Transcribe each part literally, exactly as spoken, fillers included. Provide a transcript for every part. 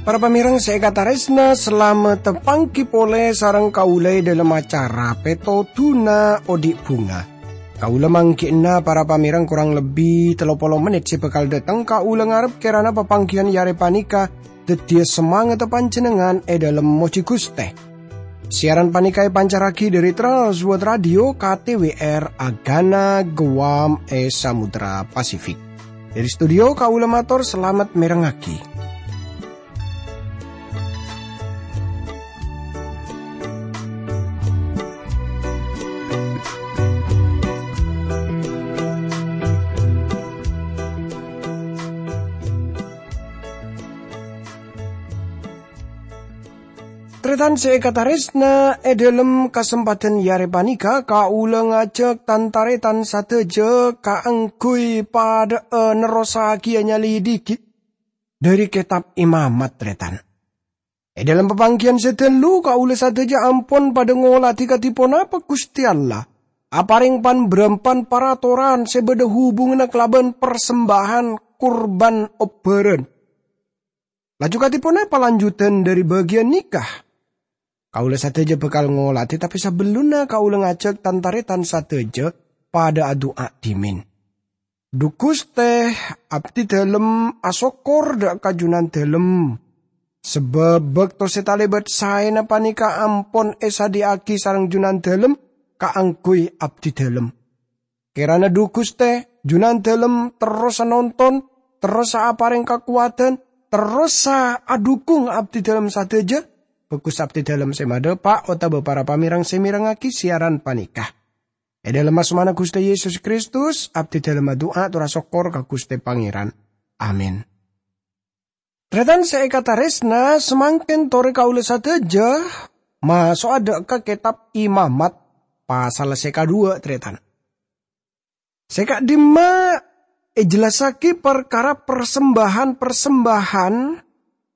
Para pamèrèng sè èkatarèsna, salamet pangghi polè sareng kaulâ è dhâlem acara Pètodhuna Odi' Bhunga. Kaulâ mangghi'na para pamèrèng korang lebbi tello polo mennit sè bhâkal dhâteng. Kaulâ ngarep kèrana papangghiyân è arè panèka dhâddhiyâ samangatta panjhennengngan è dhâlem mojhi Ghustè. Siaran panèka èpancarraghi dhâri Trans World Radio K T W R Agana Guam è Samudra Pasifik. Dhâri studio kaulâ mator salamet mèrengngaghi. Tarètan sè èkatarèsna, è dhâlem kasempadhân è arè panèka, kaulâ ngajhâk tan-tarètan sadhâjâ kaangghuy padhâ'â nerrossaghiyâ nyalèdhighi dhâri Kètab Imamat, tarètan. È dhâlem papangghiyân sè dâllu, kaulâ sadhâjâ ampon padhâ ngolatè kadhi ponapa Ghustè Allah aparèng pan-bârâmpan paratoran sè bâdâ hubunganna kalabân parsembâhân kurban obbhârân. Laju kadhi ponapa lanjutan dhâri bâgiyân nèka? Kaulâ sadhâjâ bhâkal ngolatè, tapè sabellunna kaulâ ngajhâk tan-tarètan sadhâjâ padhâ adu'a dhimèn. Dhu Ghustè, abdhi dhâlem asokkor dhâ' ka Jhunandhâlem, sabâb bâkto sè talèbât saèna panèka ampon èsadhiyâ'aghi sareng Jhunandhâlem kaangghuy abdhi dhâlem. Kèrana dhu Ghustè, Jhunandhâlem terrosa nonton, terrosa aparèng kakowadhân, terrosa adhukung abdhi dhâlem sadhâjâ, bhâghus abdhi dhâlem sè madhâpa' otabâ para pamèrèng sè mèrengngaghi siaran panèka. È dhâlem asmana Ghustè Yesus Kristus, abdhi dhâlem adu'a tor asokkor ka Ghustè Pangèran. Amin. Tarètan sè èkatarèsna, samangkèn torè kaulâ sadhâjâ maso'a dhâ' ka Kètab Imamat, pasal sè kaduwâ', tarètan. Sè ka'dimma èjellassaghi parkara parsembâhân-parsembâhân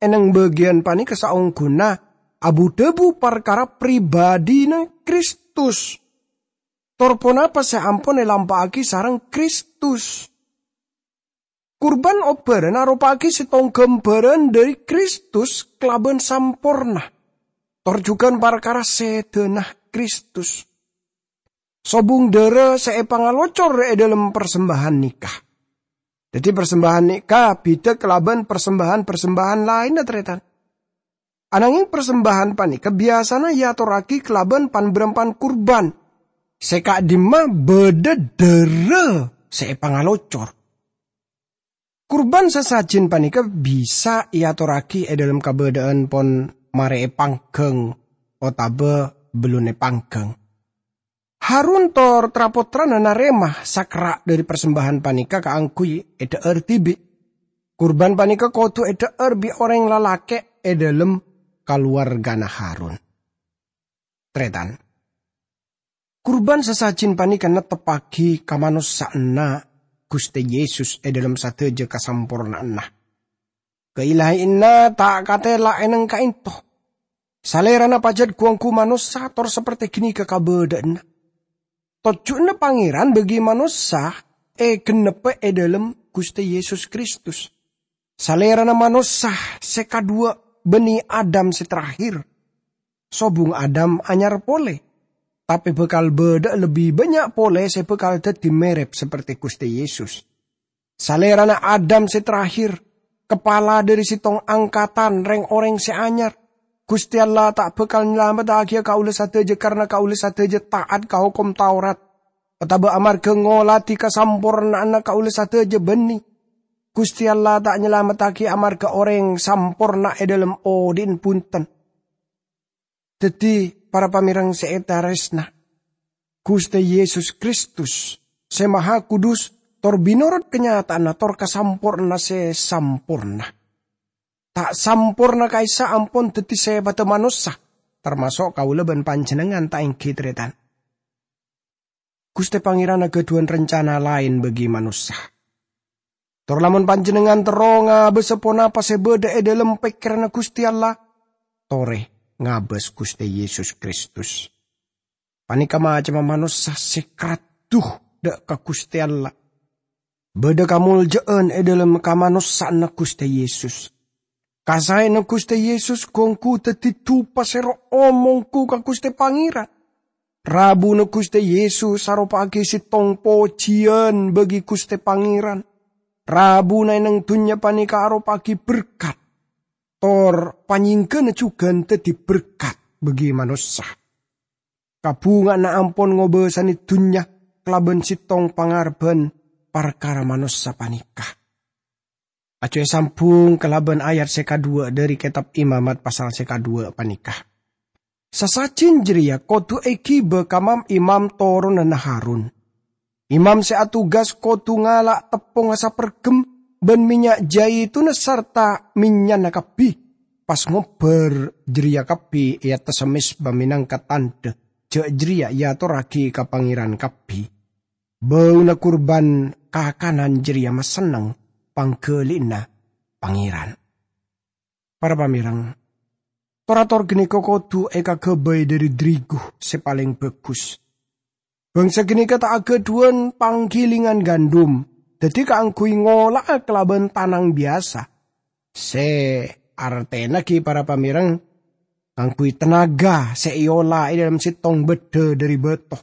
è nèng bâgiyân panèka saongghuna abu-dhâbu parkara pribadhina Kristus, tor ponapa sè ampon èlampa'aghi sareng Kristus. Kurban obbhârân aropa'aghi sèttong ghâmbhârân dhâri Kristus kalabân samporna, tor jhughân parkara sèdhâna Kristus. Sobung dârâ sè èpangalocor è dhâlem parsembâhân nèka. Dhâddhi, parsembâhân nèka bhidhâ kalabân parsembâhân-parsembâhân laènna, tarètan. Anangèng parsembâhân panèka biyasana èatorraghi kalabân pan-bârâmpan kurban, sè ka'dimma bâdâ dârâ sè èpangalocor. Kurban sasajin panèka bisa èatorraghi è dhâlem kabâdâ'ân pon marè èpangghâng otabâ bellunna èpangghâng. Harun tor tra-pottrana narèma sakra' dhâri parsembâhân panèka kaangghuy èdhâ'âr dhibi'. Kurban panèka kodhu èdhâ'âr bi' orèng lalakè' è dhâlem kalowarghâna Harun. Tarètan. Kurban sasajin panèka netteppaghi kamanossa'anna Ghustè Yesus è dhâlem sadhâjâ kasampornaanna. Kailahèyanna ta' katèla è nèng ka'ènto. Salèrana pajhât ghu-ongghu manossa tor saperte ghânèka kabâdâ'ânna. Tojjhuwânna Pangèran bâgi manossa ègennebbhâ è dhâlem Ghustè Yesus Kristus. Salèrana manossa sè kaduwâ' bânnè Adam sè terakhir. Sobung Adam anyar polè, tapè bhâkal bâdâ'â lebbi bânnya' polè sè bhâkal dhâddhi mèrèp saperte Ghustè Yesus. Salèrana Adam sè terakhir, kapala dhâri sèttong angkatan rèng-orèng sè anyar. Ghustè Allah ta' bhâkal nyalamettaghi kaulâ sadhâjâ karana kaulâ sadhâjâ ta'at ka Hokom Taurat, otabâ amarghâ ngolatè kasampornaanna kaulâ sadhâjâ bânnè. Ghustè Allah ta' nyalamettaghi amarghâ orèng samporna è dhâlem odi'na bhunten. Dhâddhi, para pamèrèng sè ètarèsna, Ghustè Yesus Kristus, sè Maha Kudus, tor mènorot kanyataanna tor kasampornaanna sè samporna. Ta' samporna ka'issa' ampon dhâddhi sèpadhâ manossa, tamaso' kaulâ bân panjhennengngan ta' èngghi tarètan. Ghustè Pangèran aghâdhuwân rencana laèn bâgi manossa. Tor lamon panjhennengngan terro ngabâsa ponapa sè bâdâ è dhâlem pèkkèranna Ghustè Allah, torè, ngabâs Ghustè Yesus Kristus. Panèka macemma manossa sè karaddhu dâ' ka Ghustè Allah. Bâdâ kamoljâ'ân è dâlem kamanossa'anna Ghustè Yesus. Kasaèna Ghustè Yesus ghu-ongghu dhâddhi dupa sè ro'-, om-ongghu ka Ghustè Pangèran. Rabuna Ghustè Yesus aropa'aghi sèttong pojiyân bagi Ghustè Pangèran. Rabuna è neng dhunnya panèka aropa'aghi berkat, tor panyèngghâna jhughân dhâddhi berkat bagi manossa. Kabhungaanna ampon ngobâsanè dhunnya kalabân sèttong pangarebbhân parkara manossa panèka. Ajjhu èsambhung kalabân ayat sè kaduwâ' dhâri Kètab Imamat pasal sè kaduwâ' panèka. Sasajin jârèya kodhu èghibâ ka mam-imam toronanna Harun. Imam sè atugas kodhu ngala' teppongnga saperghem bân mènnya' jhâitunna sarta mènnya'na kabbhi, pas ngobbhâr jârèya kabbhi è attassa mezba mènangka tandhâ jâ' jârèya èatorraghi ka Pangèran kabbhi. Bâuna kurban kakanan jârèya masenneng pangghâli'ânna Pangèran. Para pamèreng, tor-ator ghânèka kodhu èkaghâbây dhâri dârigu sè palèng bhâghus. Bhângsa ghânèka ta' aghâdhuwân pangghilèngan gandum, dhâddhi kaangghuy ngola'a kalabân tanang biyasa. Sè artèna ghi, para pamèreng, kaangghuy tenaga sè èola è dâlem sèttong bâddhâ dhâri bâto.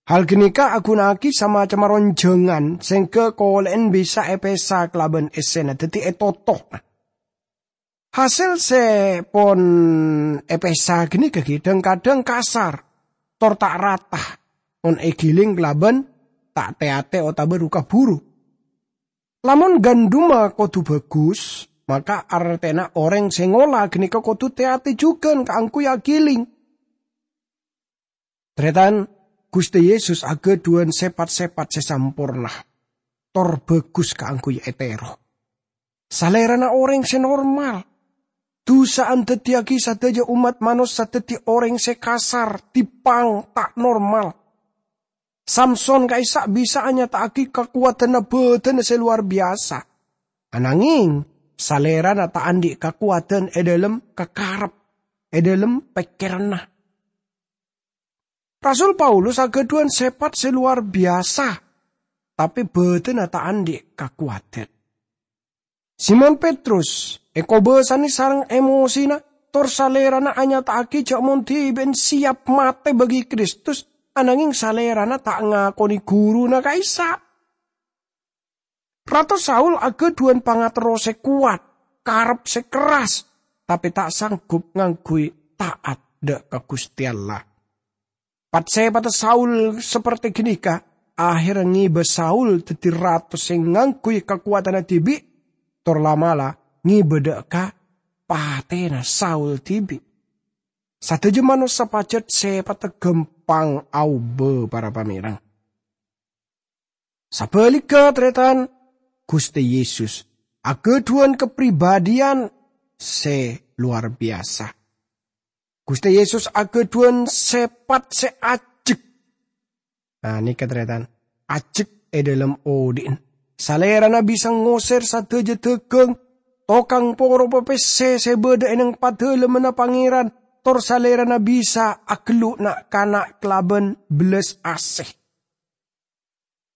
Hal ghânèka aghuna'aghi samacemma ronjhângan sèngghâ kolè'en bisa èpèsa kalabân essèna, dhâddhi ètoto. Hasèl sè pon èpèsa ghânèka ghi dhâng-kadhâng kasar, tor ta' rata, mon èghilèng kalabân ta' tè-atè otabâ ru-kabhuru. Lamon gandumma kodhu bhâghus, maka artèna orèng sè ngola ghânèka kodhu tè-atè jhughân kaangghuy aghilèng. Tarètan, Ghustè Yesus aghâdhuwân sèpat-sèpat sè samporna, tor bhâghus kaangghuy ètèro. Salèrana orèng sè normal. Dusa andhâddhiyâghi sadhâjâ ommat manossa dhâddhi orèng sè kasar, dipang, ta' normal. Samson ka'issa' bisa anyata'aghi kakowadhânna bhâdhânna sè lowar biyasa. Anangèng, salèrana ta' andi' kakowadhân è dâlem kakarep, è dâlem pèkkèranna. Rasul Paulus aghâdhuwân sèpat sè lowar biyasa, tapè bhâdhânna ta' andi' kakowadhân. Simon Petrus èkobâsanè sareng emosina, tor salèrana anyata'aghi jâ' mon dhibi'en siap matè bagi Kristus, anangèng salèrana ta' ngakonè ghuruna ka'issa'. Rato Saul aghâdhuwân pangaterro sè kowat, karep sè kerras, tapè ta' sanggup ngangghuy ta'at dâ' ka Ghustè Allah. Pat-sèpatta Saul sapertè ghânèka, ahèrra ngibâ Saul dhâddhi rato sè ngangghuy kakowadhânna dhibi', tor la'-mala' ngibâ dâ' ka patèna Saul dhibi'. Sadhâjâ manossa pajhât sèpatta ghâmpang aobâ, para pamèreng. Sabhâligghâ, tarètan, Ghustè Yesus aghâdhuwân kapribâdhiyân sè lowar biyasa. Ghustè Yesus aghâdhuwân sèpat sè ajjhek. Nah, nèka, tarètan, ajjhek è dâlem odhi'na. Salèrana bisa ngosèr sadhâjâ dhâghâng, tokang poro pèssè sè bâdâ è neng Padâlemmanna Pangèran, tor salèrana bisa aghâllu na'-kana' kalabân bellas asè.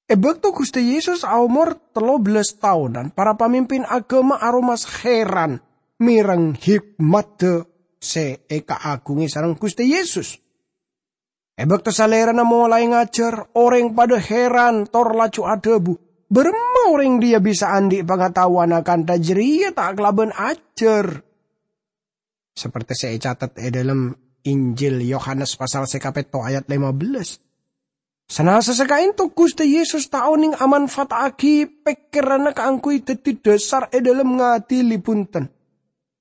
È bâkto Ghustè Yesus aomor tello bellas taonan, para pamimpin aghâma aromas heran mèreng hikmadhâ sè èkaaghungè sareng Ghustè Yesus. È bâkto Salèrana molaè ngajhâr, orèng padâ heran tor laju adhâbu, "Bârâmma orèng rèya bisa andi' pangataowan akantha jârèya ta' kalabân ajhâr?" Sapertè sè ècatet è dâlem Injil Yohanes pasal sè kapètto ayat lèma bellâs. Sanasa sè ka'ènto Ghustè Yesus ta' onèng amanfaata'aghi pèkkèranna kaangghuy dhâddhi dhâsar è dâlem ngadili bhunten.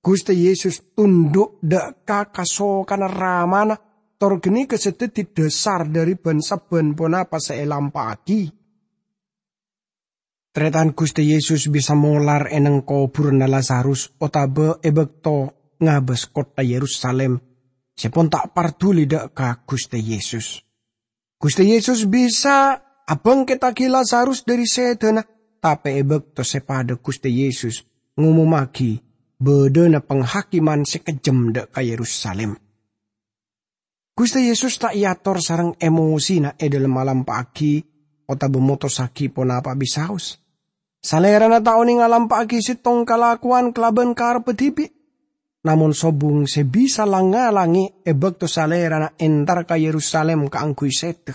Ghustè Yesus tondhu' dâ' ka kasokanna Ramana, tor ghânèka sè dhâddhi dhâsar dhâri bân-sabbhân ponapa sè èlampa'aghi. Tarètan Ghustè Yesus bisa molar è neng kobhurânna Lazarus otabâ è bâkto ngabâs kottha Yerusalim sè pon ta' parduli dâ' ka Ghustè Yesus. Ghustè Yesus bisa abhângkettaghi Lazarus dhâri sèdhâna, tapè è bâkto sè padâ Ghustè Yesus ngomomaghi bâdâna panghakiman sè kejjhem dâ' ka Yerusalim. Ghustè Yesus ta' èator sareng emosina è dhâlem alampa'aghi otabâ motossaghi ponapa bisaos. Salèrana ta' onèng alampa'aghi sèttong kalakowan kalabân karebbhâ dhibi', namong sobung sè bisa lang-ngalangè è bâkto Salèrana entar ka Yerusalim kaangghuy sèdhâ.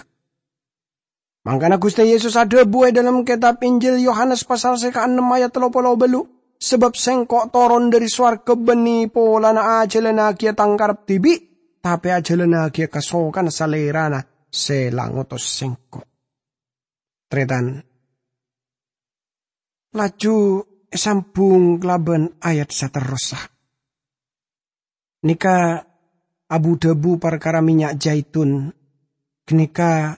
Mangkana Ghustè Yesus adhâbu è dhâlem kètab Injil Yohanes pasal sè kaennem ayat tello polo bâllu', "Sabâb Sèngko' toron dhâri sowarghâ bânnè polana ajhâlânnagiyâ Tang karep dhibi', tapè ajhâlânnagiyâ kasokanna Salèrana sè la ngotos Sèngko'." Tarètan, laju èsambhung kalabân ayat saterrossa. Nèka abu-dhâbu parkara mènnya' jaitun, ghânèka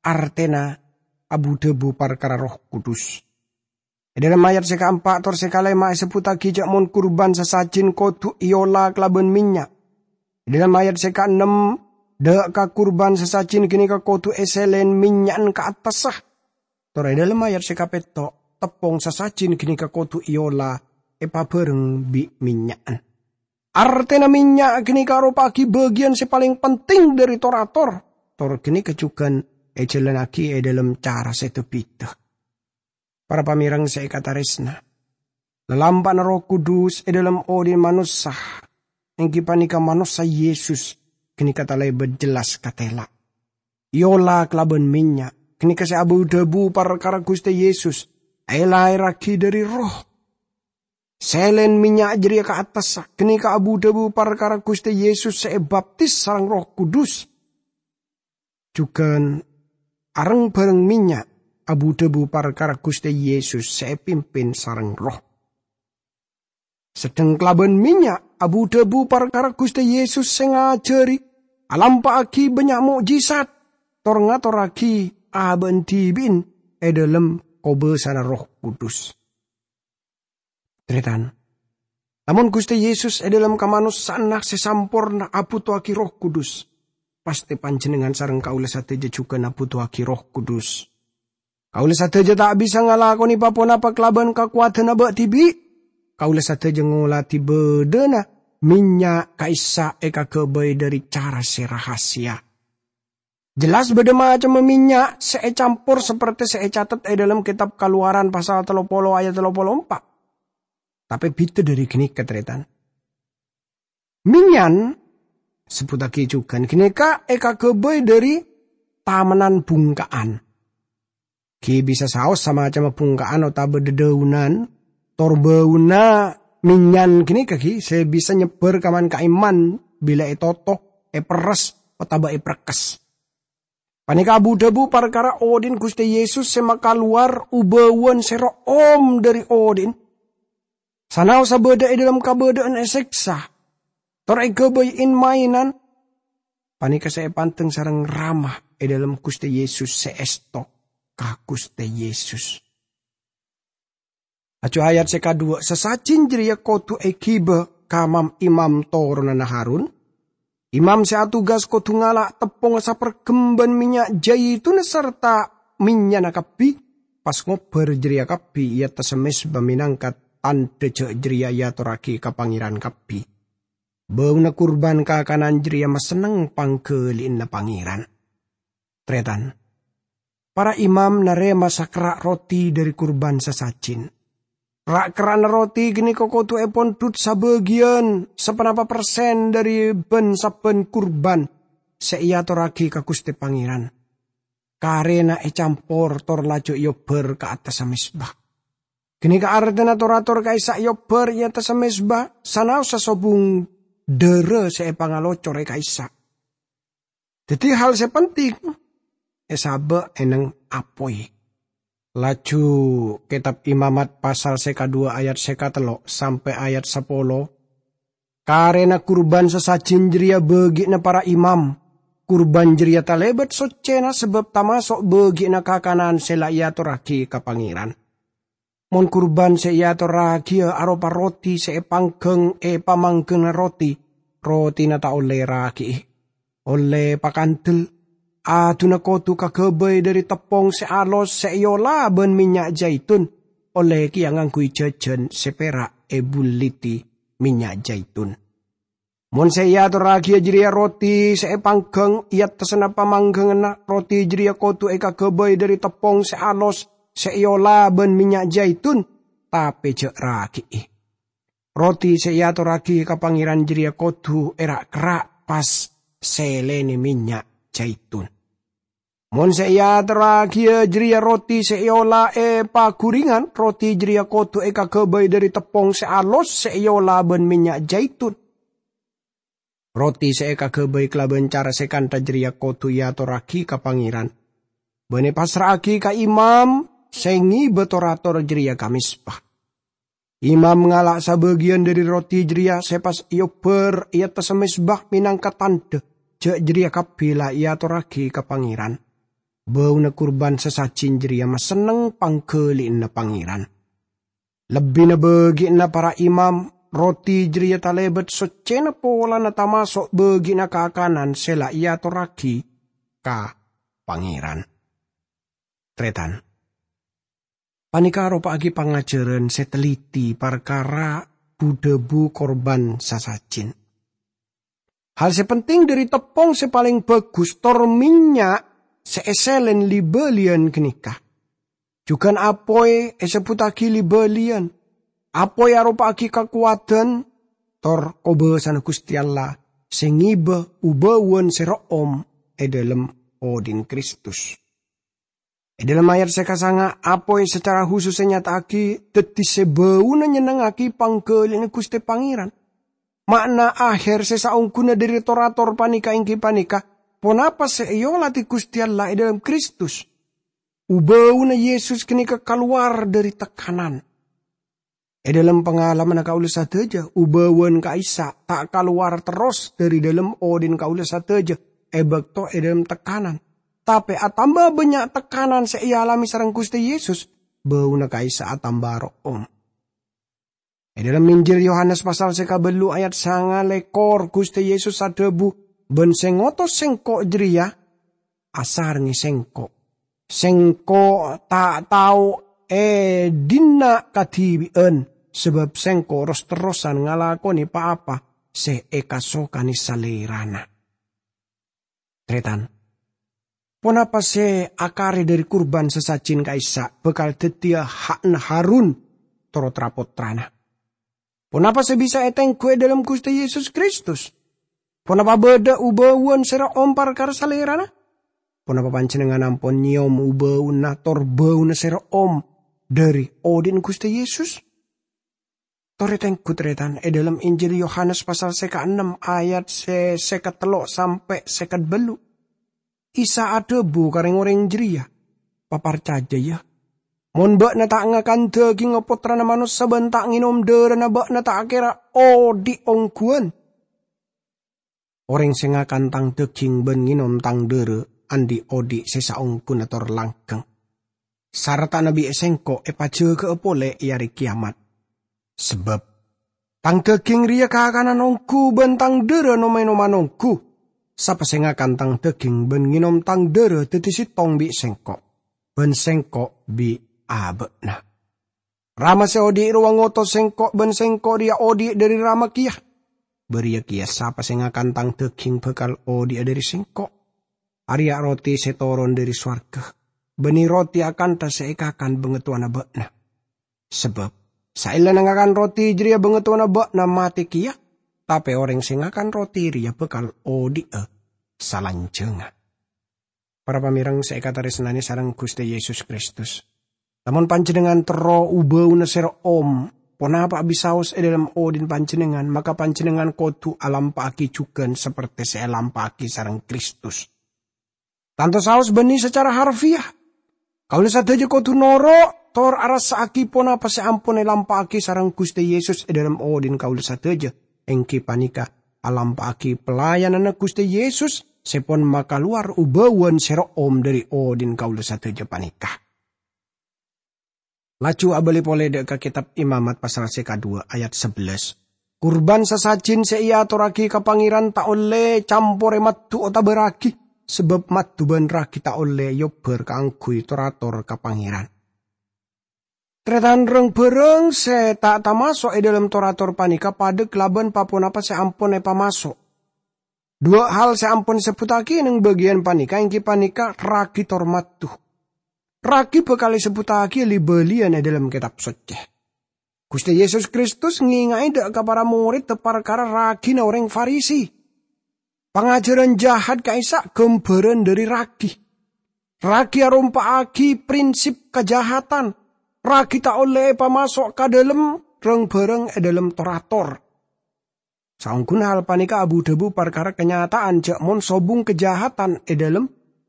artèna abu-dhâbu parkara Erroh Kudus. È dhâlem ayat sè kaempa' tor sè kalèma' èsebbhuttaghi jâ' mon kurban sasajin kodhu èola kalabân mènnya'. È dhâlem ayat sè kaennem, dâ' ka kurban sasajin ghânèka kodhu èsèlèn mènnya'an ka attassa. Tor è dhâlem ayat sè kapètto', teppong sasajin ghânèka kodhu èola èpabhâreng bi' mènnya'an. Artèna mènnya' ghânèka aropa'aghi bâgiyân sè palèng penting dhâri tor-ator, tor ghânèka jhughân èjhâlânnaghi è dhâlem cara sè dhâ-bhidhâ. Para pamèreng sè èkatarèsna, lalampa'na Erroh Kudus è dhâlem odi'na manossa, èngghi panèka manossa Yesus, ghânèka talèbât jellas katèla'. Èola kalabân mènnya', ghânèka sè abu-dhâbu parkara Ghustè Yesus, èlaèrraghi dhâri Erroh. Sèlèn mènnya' jârèya ka attassa, ghânèka abu-dhâbu parkara Ghustè Yesus sè èbaptis sareng Erroh Kudus. Jhughân areng-bhâreng mènnya' abu-dhâbu parkara Ghustè Yesus sè èpimpin sareng Erroh. Sedheng kalabân mènnya' abu-dhâbu parkara Ghustè Yesus sè ngajhâri, alampa'aghi bânnya' mo'jizat, tor ngatorraghi abâ'na dhibi'na è dhâlem kobâsana Erroh Kudus. Tarètan, lamon Ghustè Yesus è dhâlem kamanossa'anna sè samporna abhuto'aghi Erroh Kudus, pastè panjhennengngan sareng kaulâ sadhâjâ jhughân abhuto'aghi Erroh Kudus. Kaulâ sadhâjâ ta' bisa ngalakonè pa-ponapa kalabân kakowadhânna bâ' dhibi'. Kaulâ sadhâjâ ngolatè bâdâna mènnya' ka'issa' èkaghâbây dhâri cara sè rahasia. Jellas bâdâ macemma mènnya' sè ècampor sapertè sè ècatet è dhâlem Kètab Kalowaran pasal tello polo ayat tello polo empa'. Tapè bhidhâ dhâri ghânèka, tarètan. Mènnya'an, sebbhuttaghi jhughân, ghânèka èkaghâbây dhâri tamennan bhungka'an. Ghi' bisa saos samacemma bhungka'an otabâ dhâdhâunan, tor bâuna mènnya'an ghânèka ghi' sè bisa nyebbhâr ka man-ka'imman bilâ ètoto, èperres, otabâ èprekkes. Panèka abu-dhâbu parkara odi'na Ghustè Yesus sè makalowar u-bâuwân sè ro'om dhâri odi'na. Sanaossa bâdâ è dhâlem kabâdâ'ân èsèksa, tor èghâbây in-maènan, panèka sè èpandeng sareng Rama è dhâlem Ghustè Yesus sè èsto ka Ghustè Yesus. Laju ayat sè kaduwâ', sasajin jârèya kodhu èghibâ ka mam-imam toronanna Harun. Imam sè atugas kodhu ngala' teppongnga saperghem bân mènnya' jhâitunna sarta mènnya'na kabbhi, pas ngobbhâr jârèya kabbhi è attassa mezba mènangka tandhâ jâ' jârèya èatorraghi ka Pangèran kabbhi. Bâuna kurban kakanan jârèya masenneng pangghâli'ânna Pangèran. Tarètan, para imam narèma sakerra' roti dhâri kurban sasajin. Ra'-kerra'na roti ghânèka kodhu èpondhut sabâgiyân, saponapa persen dhâri bân-sabbhân kurban sè èatorraghi ka Ghustè Pangèran. Karèna ècampor tor laju èobbhâr ka attassa mezba. Ghânèka artèna tor-ator ka'issa' èobbhâr è attassa mezba, sanaossa sobung dhârâ sè èpangalocor è ka'issa'. Dhâddhi hal sè penting èsabâ' è nèng apoy. Laju Kètab Imamat pasal sè kaduwâ ayat sè katello' sampè' ayat sapolo, karèna kurban sasajin jârèya bâgi'na para imam, kurban jârèya talèbât soccèna sabâb tamaso' bâgi'na kakanan sè la èatorraghi ka Pangèran. Mon kurban sè èatorraghiyâ aropa roti sè èpangghâng è pamangghânna roti, rotina ta' ollè èraghiyâ. Ollè pakandel, aduna kodhu kaghâbây dhâri teppong sè alos sè èola bân mènnya' jhâitun, ollè kèya ngangghuy jhâjhân sè pèra' èbulliddhi mènnya' jaitun. Mon sè èatorraghiyâ jârèya roti sè èpangghâng è attassanna pamangghânganna, roti jârèya kodhu èkaghâbây dhâri teppong sè alos sè èola bân mènnya' jaitun, tapè jhâ' ragi'i. Roti sè èatorraghi ka Pangèran jârèya kodhu èra'-kerra' pas sèlèna mènnya' jaitun. Mon sè èatorraghiyâ jârèya roti sè èola è paghurèngan, roti jârèya kodhu èkaghâbây dhâri teppong sè alos sè èola bân mènnya' jaitun. Roti sè èkaghâbây kalabân cara sè kantha jârèya kodhu èatorraghi ka Pangèran, bân èpassra'aghi ka imam sè ngèbâ tor-ator jârèya ka mezba. Imam ngala' sabâgiyân dhâri roti jârèya sè pas èobbhâr è attassa mezba mènangka tandhâ jhâ' jârèya kabbhi la èatorraghi ka Pangèran. Bâuna kurban sasajin jârèya masenneng pangghâli'ânna Pangèran. Lebbina bâgi'ânna para imam, roti jârèya talèbât soccèna polana tamaso' bâgi'ânna kakanan sè la èatorraghi ka Pangèran. Tarètan. Panèka aropa'aghi pangajhârân sè telliti parkara bu-dhâbu kurban sasajin. Hal sè penting dhâri teppong sè palèng bhâghus tor mènnya' sè èsèlèn li-bâliyân ghânèka. Jhughân apoy èsebbhuttaghi li-bâliyân. Apoy aropa'aghi kakowadhân tor kobâsana Ghustè Allah sè ngèbâ u-bâuwân sè ro'om è dhâlem odhi'na Kristus. È dhâlem ayat sè kasanga', apoy sacara husus ènyata'aghi dhâddhi sè bâuna nyennengngaghi pangghâli'ânna Ghustè Pangèran. Ma'na aher sè saongghuna dhâri tor-ator panèka èngghi panèka ponapa sè èolatè Ghustè Allah è dhâlem Kristus. U-bâuna Yesus ghânèka kalowar dhâri tekanan. È dhâlem pangalamanna kaulâ sadhâjâ, u-bâuwân ka'issa' ta' kalowar terros dhâri dhâlem odhi'na kaulâ sadhâjâ è bâkto è dhâlem tekanan. Tapè atamba bânnya' tekanan sè èalamè sareng Ghustè Yesus, bâuna ka'issa' atamba ro'om. È dhâlem Injil Yohanes pasal sè kabâllu ayat sanga lèkor, Ghustè Yesus adhâbu, "Bân sè ngotos Sèngko' jârèya asarengngè Sèngko'. Sèngko' ta' tao è dinna' kadhibi'ân, sabâb Sèngko' ros-terrosan ngalakonè pa-apa sè èkasokanè Salèrana." Tarètan, ponapa sè akarè dhâri kurban sasajin ka'issa' bhâkal dhâddhiyâ ha'na Harun tor tra-pottrana? Ponapa sè bisa ètèngghu è dhâlem Ghustè Yesus Kristus? Ponapa bâdâ u-bâuwân sè ro'om parkara Salèrana? Ponapa panjhennengngan ampon nyèyom u-bâuna tor bâuna sè ro'om dhâri odhi'na Ghustè Yesus? Tor ètèngghu, tarètan, è dhâlem Injil Yohanes pasal sè kaennem ayat sè sèket tello' sampè' sèket bâllu'. Isa adhâbu ka rèng-orèng jârèya, "Paparcajâ, yâ! Mon bâ'na ta' ngakan dhâgingnga Pottrana Manossa bân ta' ngènom dârâna, bâ'na ta' kèra odhi' ongghuwân. Orèng sè ngakan Tang dhâging bân ngènom Tang dârâ andi' odhi' sè saongghuna tor langghâng, sartana bi' Sèngko' èpajâgâ'â polè è Arè Kèyamat. Sabâb Tang dhâging rèya kakanan ongghu bân Tang dârâ nom-ènoman ongghu. Sapa sè ngakan Tang dhâging bân ngènom Tang dârâ dhâddhi sèttong bi' Sèngko', bân Sèngko' bi' abâ'na. Rama sè odhi' rowa ngotos Sèngko', bân Sèngko' rèya odhi' dhâri Rama kèya. Bâriyâ kèya sapa sè ngakan Tang dhâging bhâkal odhi'a dhâri Sèngko'. Arèya roti sè toron dhâri sowarghâ, bânnè roti akantha sè èkakan bângatowana bâ'na. Sabâb, saellana ngakan roti jârèya bângatowana bâ'na matè kèya, tapè orèng sè ngakan roti rèya bhâkal odhi'a salanjhângnga." Para pamèreng sè èkatarèsnanè sareng Ghustè Yesus Kristus, lamon panjhennengngan terro u-bâuna sè ro'om, ponapa bisaos è dhâlem odhi'na panjhennengngan, maka panjhennengngan kodhu alampa'aghi jhughân sapertè sè èlampa'aghi sareng Kristus. Tanto saos bânnè sacara harfiah. Kaulâ sadhâjâ kodhu noro' tor arassa'aghi ponapa sè ampon èlampa'aghi sareng Ghustè Yesus è dhâlem odhi'na kaulâ sadhâjâ, èngghi panèka alampa'aghi pelayananna Ghustè Yesus sè pon makalowar u-bâuwân sè ro'om dhâri odhi'na kaulâ sadhâjâ panèka. Laju abâli polè dâ' ka Kètab Imamat pasal sè kadhuwâ ayat sabellâs. Kurban sasajin sè èatorraghi ka Pangèran ta' ollè camporè maddhu otabâ ragi, sabâb maddhu bân ragi ta' ollè èobbhâr kaangghuy tor-ator ka Pangèran. Tarètan, rang-bhârâng sè ta' tamaso' è dhâlem tor-ator panèka padâ kalabân pa-ponapa sè ampon èpamaso'. Duwâ' hal sè ampon èsebbhuttaghi neng bâgiyân panèka èngghi panèka ragi tor maddhu. Ragi bhâkal èsebbhuttaghi li-bâliyân è dhâlem Kètab Soccè. Ghustè Yesus Kristus ngènga'è dâ' ka para morèdda parkara ragina orèng Farisi. Pangajhârân jahat ka'issa' ghâmbhârân dhâri ragi. Ragi arompa'aghi prinsip kajahatan. Ragi ta' ollè èpamaso' ka dhâlem rang-bhârâng è dhâlem tor-ator. Saongghuna hal panèka abu-dhâbu parkara kanyata'an jhâ' mon sobung kajahatan è dhâlem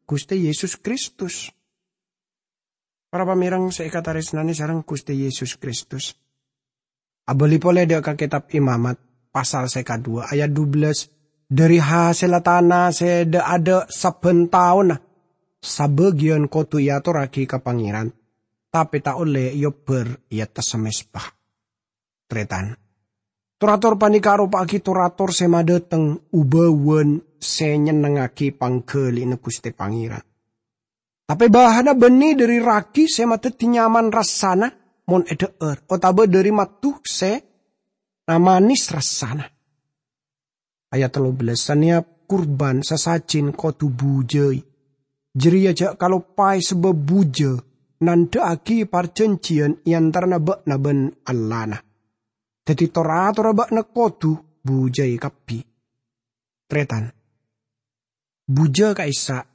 Ghustè Yesus Kristus. Para pamèreng sè èkatarèsnanè sareng Ghustè Yesus Kristus. Abâli polè dâ' ka Kètab Imamat, pasal sè kaduwâ, ayat dubellâs, "Dhâri hasèlla tana sè dâ'-adâ' sabbhân taonna, sabâgiyân kodhu èatorraghi ka Pangèran, tapè ta' ollè èobbhâr è attassa mezba." Tarètan, tor-ator panèka aropa'aghi tor-ator sè madhâteng obâwan sè nyennengngaghi pangghâli'na Ghustè Pangèran. Tapè bahanna bânnè dhâri ragi sè madhâddhi nyaman rassana mon èdhâ'âr, otabâ dhâri maddhu sè namanis rassana. Ayat tello bellâs, "Sanèyap kurban sasajin kodhu bujâi. Jârèya jhâ' kaloppaè sabâb bujâ nandhâ'aghi parjhânjhiyân è antarana bâ'na bân Allahna. Dhâddhi tor-atorra bâ'na kodhu bujâi kabbhi." Tarètan, bujâ ka'issa'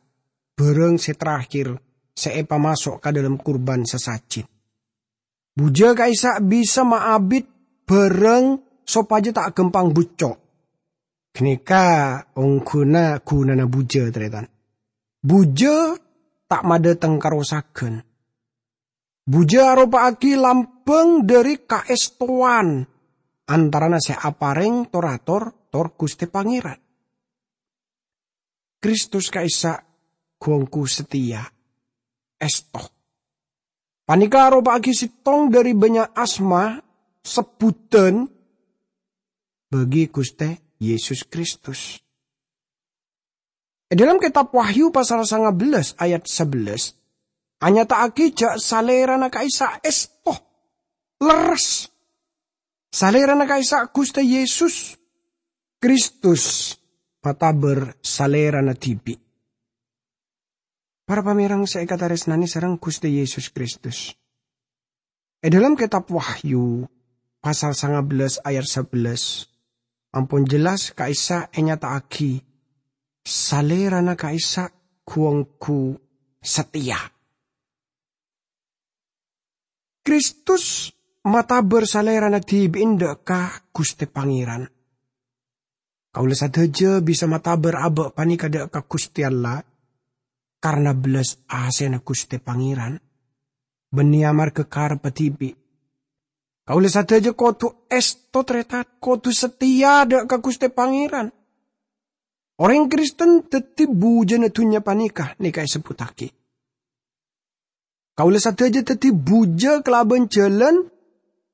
bhârâng sè terakhir sè èpamaso' ka dhâlem kurban sasajin. Bujâ ka'issa' bisa maabit bhârâng sopajâ ta' ghâmpang bucco'. Ghânèka ongghuna ghunana bujâ, tarètan. Bujâ ta' madhâteng karosaghân. Bujâ aropa'aghi lambâng dhâri kaèstowan antarana sè aparèng tor-ator tor Ghustè Pangèran. Kristus ka'issa' ghu-ongghu satèya, èsto. Panèka aropa'aghi sèttong dhâri bânnya' asma sebbhuddhân bagi Ghustè Yesus Kristus. È dhâlem Kètab Wahyu pasal sanga bellâs ayat sabellâs, anyata'aghi jhâ' Salèrana ka'issa' èsto, lerres. Salèrana ka'issa' Ghustè Yesus Kristus matabâr Salèrana dhibi'. Para pamèreng sè èkatarèsnanè sareng Ghustè Yesus Kristus. È dhâlem Kètab Wahyu, pasal sanga bellâs ayat sabellâs, ampon jelas ka'issa' ènyata'aghi, Salèrana ka'issa' ghu-ongghu satèya. Kristus matabâr Salèrana dhibi' dâ' ka Ghustè Pangèran. Kaulâ sadhâjâ bisa matabâr abâ' panèka dâ' ka Ghustè Allah, karna bellas asèna Ghustè Pangèran, bânnè amarghâ karebbhâ dhibi'. Kaulâ sadhâjâ kodhu èsto, tarètan, kodhu satèya dâ' ka Ghustè Pangèran. Orèng Kristen dhâddhi bujâna dhunnya panèka, nèka èsebbhuttaghi. Kaulâ sadhâjâ dhâddhi bujâ kalabân jhâlân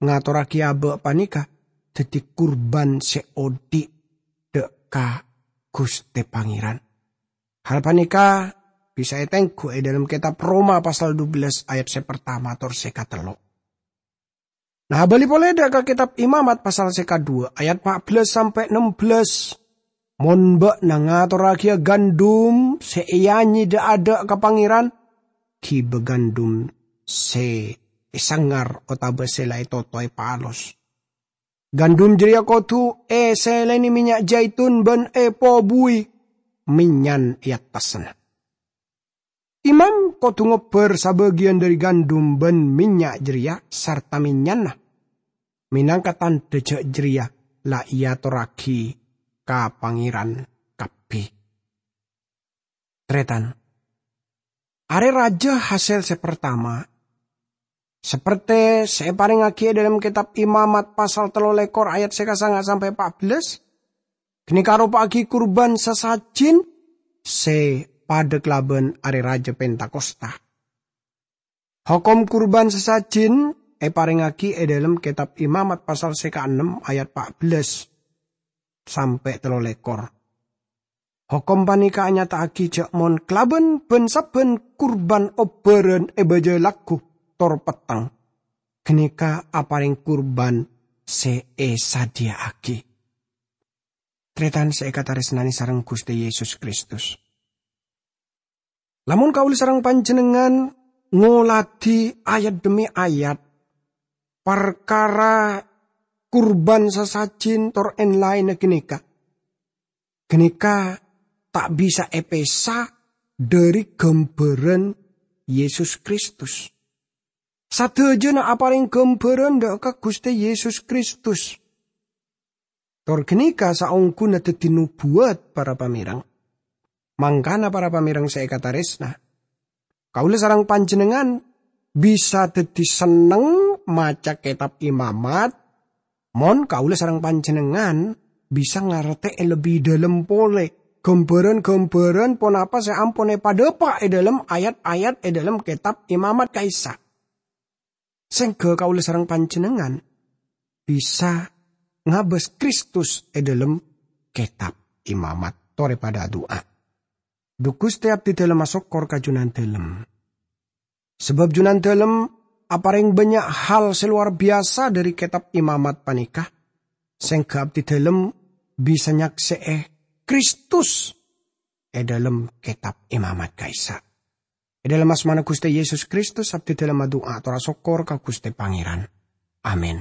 ngatorraghi abâ' panèka dhâddhi kurban sè odi' dâ' ka Ghustè Pangèran. Hal panèka bisa ètengghu è dhâlem Kètab Roma pasal dubellâs ayat sè partama tor sè katello. Nah, abâli polè dâ' ka Kètab Imamat pasal sè kaduwâ, ayat pa' bellâs sampè' nembellâs. Mon bâ'na ngatorraghiyâ gandum sè èanyè dâ'-adâ' ka Pangèran, ghibâ gandum sè èsangar otabâ sè la ètotoè palos. Gandum jârèya kodhu èsèlènè mènnya' jaitun bân èpobuwi mènnyan è attassanna. Imam kodhu ngobbhâr sabâgiyân dhâri gandum bân mènnya' jârèya sarta mènnyanna, mènangka tandhâ jâ' jârèya la èatorraghi ka Pangèran kabbhi. Tarètan, Arè Rajâ hasèl sè partama, sapertè sè èparèngaghi è dhâlem Kètab Imamat pasal tello lèkor ayat sè kasanga sampè' pa' bellâs, ghânèka aropa'aghi kurban sasajin sè padâ kalabân Arè Rajâ Pentakosta. Hokom kurban sasajin èparèngaghi è dhâlem Kètab Imamat pasal sè kaennem ayat pa' bellâs sampè' tello lèkor. Hokom panèka anyata'aghi jâ' mon kalabân bân-sabbhân kurban obbhârân è bâjâ lagghu tor petteng, ghânèka aparèng kurban sè èsadhiyâ'aghi. Tarètan sè èkatarèsnanè sareng Ghustè Yesus Kristus. Lamon kaulâ sareng panjhennengngan ngoladhi ayat dhemmi ayat parkara kurban sasajin tor èn-laènna ghânèka, ghânèka ta' bisa èpèsa dhâri ghâmbhârân Yesus Kristus. Sadhâjâna aparèng ghâmbhârân dhâ' ka Ghustè Yesus Kristus. Tor ghânèka saongghuna dhâddhi nobuwât, para pamèreng. Mangkana, para pamèreng sè èkatarèsna, kaulâ sareng panjhennengngan bisa dhâddhi senneng maca Kètab Imamat, mon kaulâ sareng panjhennengngan bisa ngartè'è lebbi dhâlem polè ghâmbhârân-ghâmbhârân ponapa sè ampon èpadhâpa' è dhâlem ayat-ayat è dhâlem Kètab Imamat ka'issa'. Sèngghâ kaulâ sareng panjhennengngan bisa ngabâs Kristus è dhâlem Kètab Imamat. Torè padâ adu'a. Dhu Ghustè, abdidhâlem asokkor ka Jhunandhâlem. Sabâb Jhunandhâlem aparèng bânnya' hal sè lowar biyasa dhâri Kètab Imamat panèka, sèngghâ abdidhâlem bisa nyaksè'è Kristus è dhâlem Kètab Imamat ka'issa'. È dhâlem asmana Ghustè Yesus Kristus, abdidhâlem adu'a tor asokkor ka Ghustè Pangèran. Amin.